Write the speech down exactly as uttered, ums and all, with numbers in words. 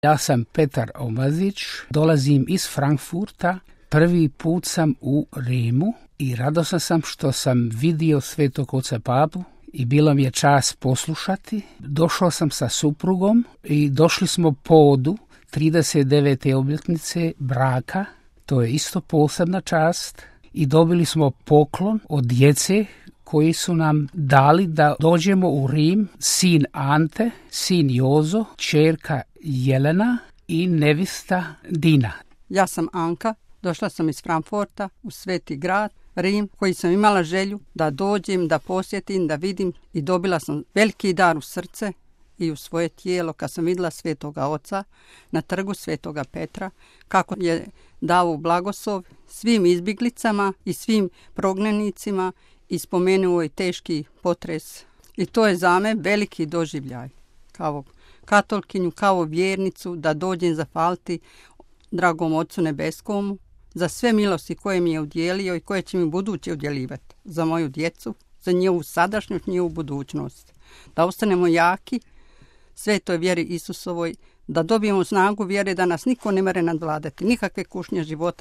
Ja sam Petar Omazić, dolazim iz Frankfurta. Prvi put sam u Rimu i radosan sam što sam vidio Svetog oca Papu i bilo mi je čast poslušati. Došao sam sa suprugom i došli smo povodu trideset devete obljetnice braka. To je isto posebna čast i dobili smo poklon od djece koji su nam dali da dođemo u Rim, sin Ante, sin Jozo, ćerka Jelena i nevista Dina. Ja sam Anka, došla sam iz Frankfurta u Sveti grad, Rim, koji sam imala želju da dođem, da posjetim, da vidim i dobila sam veliki dar u srce i u svoje tijelo kad sam vidjela Svetoga Oca na trgu Svetoga Petra, kako je dao blagoslov svim izbjeglicama i svim prognanicima i spomenuo je teški potres. I to je za me veliki doživljaj kao katolkinju, kao vjernicu, da dođem zahvaliti dragom Ocu Nebeskomu za sve milosti koje mi je udjelio i koje će mi buduće udjeljivati za moju djecu, za njihovu sadašnjost, njihovu budućnost. Da ostanemo jaki svetoj vjeri Isusovoj, da dobijemo snagu vjere da nas niko ne mere nadvladati, nikakve kušnje života